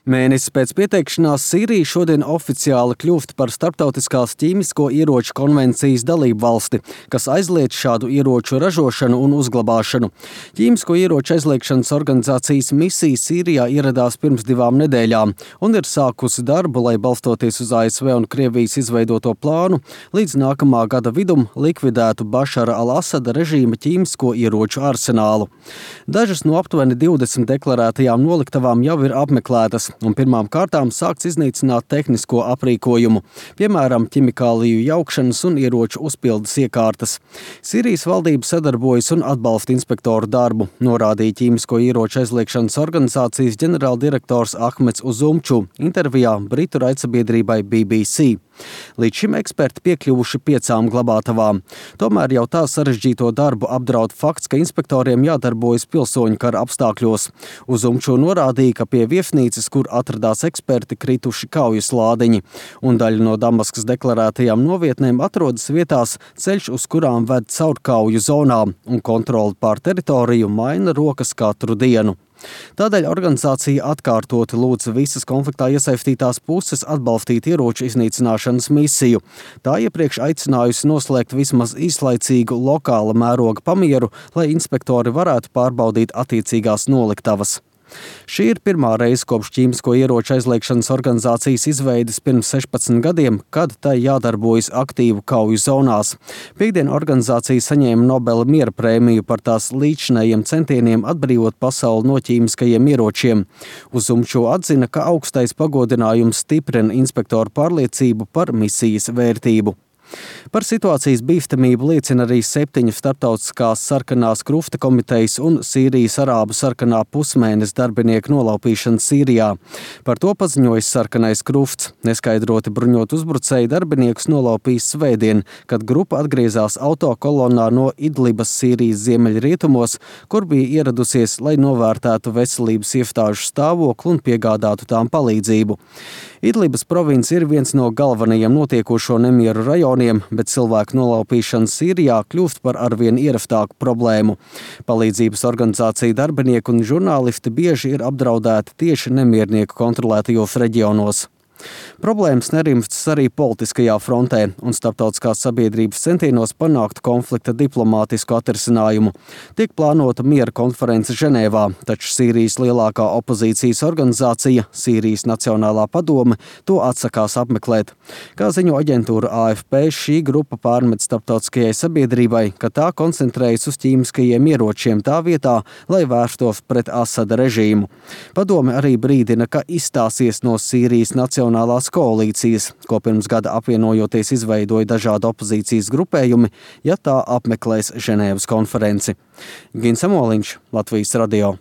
Mēnesis pēc pieteikšanās Sīrija šodien oficiāli kļūst par Starptautiskās ķīmisko ieroču konvencijas dalību valsti, kas aizliedz šādu ieroču ražošanu un uzglabāšanu. Ķīmisko ieroču aizliegšanas organizācijas misija Sīrijā ieradās pirms 2 nedēļām un ir sākusi darbu, lai balstoties uz ASV un Krievijas izveidoto plānu, līdz nākamā gada vidum likvidētu Bašara al-Asada režīma ķīmisko ieroču arsenālu. Dažas no aptuveni 20 deklarētajām noliktavām jau ir apmeklētas, un pirmām kārtām sākts iznīcināt tehnisko aprīkojumu, piemēram, ķimikāliju jaukšanas un ieroču uzpildes iekārtas. Sīrijas valdība sadarbojas un atbalsta inspektoru darbu, norādīja ķīmisko ieroču aizliegšanas organizācijas ģenerāldirektors Ahmeds Uzumču intervijā britu raidsabiedrībai BBC. Līdz šim eksperti piekļuvuši 5 glabātavām. Tomēr jau tā sarežģīto darbu apdraud fakts, ka inspektoriem jādarbojas pilsoņu kara apstākļos. Uzumču norādīja, ka pie viesnīcas, kur atradās eksperti, krituši kaujas lādiņi, un daļa no Damaskas deklarētajām novietnēm atrodas vietās, ceļš uz kurām ved caur kauju zonām, un kontroli pār teritoriju maina rokas katru dienu. Tādēļ organizācija atkārtoti lūdza visas konfliktā iesaistītās puses atbalstīt ieroču iznīcināšanas misiju. Tā iepriekš aicinājusi noslēgt vismaz īslaicīgu lokāla mēroga pamieru, lai inspektori varētu pārbaudīt attiecīgās noliktavas. Šī ir pirmā reize kopš ķīmisko ieroču aizliegšanas organizācijas izveides pirms 16 gadiem, kad tai jādarbojas aktīvu kauju zonās. Piektdien organizācija saņēma Nobela miera prēmiju par tās līdzinējiem centieniem atbrīvot pasauli no ķīmiskajiem ieročiem. Uzumču atzina, ka augstais pagodinājums stiprina inspektoru pārliecību par misijas vērtību. Par situācijas bīstamību liecina arī 7 starptautiskās sarkanās krusta komitejas un Sīrijas arābu sarkanā pusmēnesa darbinieku nolaupīšana Sīrijā. Par to paziņojis sarkanais krusts. Neskaidroti bruņot uzbrucēji darbiniekus nolaupījis svētdien, kad grupa atgriezās autokolonnā no Idlibas Sīrijas ziemeļrietumos, kur bija ieradusies, lai novērtētu veselības iestāžu stāvokli un piegādātu tām palīdzību. Idlibas province ir viens no galvenajiem notiekošo nemieru rajoniem, bet cilvēku nolaupīšana Sīrijā kļūst par arvien ierastāku problēmu. Palīdzības organizācija darbinieki un žurnālisti bieži ir apdraudēti tieši nemiernieku kontrolētajos reģionos. Problēmas nerimstas arī politiskajā frontē un starptautiskās sabiedrības centienos panākt konflikta diplomātisku atrisinājumu. Tiek plānota miera konference Ženēvā, taču Sīrijas lielākā opozīcijas organizācija, Sīrijas Nacionālā padome, to atsakās apmeklēt. Kā ziņo aģentūra AFP, šī grupa pārmet starptautiskajai sabiedrībai, ka tā koncentrējas uz ķīmiskajiem ieročiem tā vietā, lai vērstos pret Asada režīmu. Padome arī brīdina, ka izstāsies no Sīrijas Nacionālās koalīcijas, ko pirms gada apvienojoties izveidoja dažādi opozīcijas grupējumi, ja tā apmeklēs Ženēvas konferenci. Gins Amoliņš, Latvijas radio.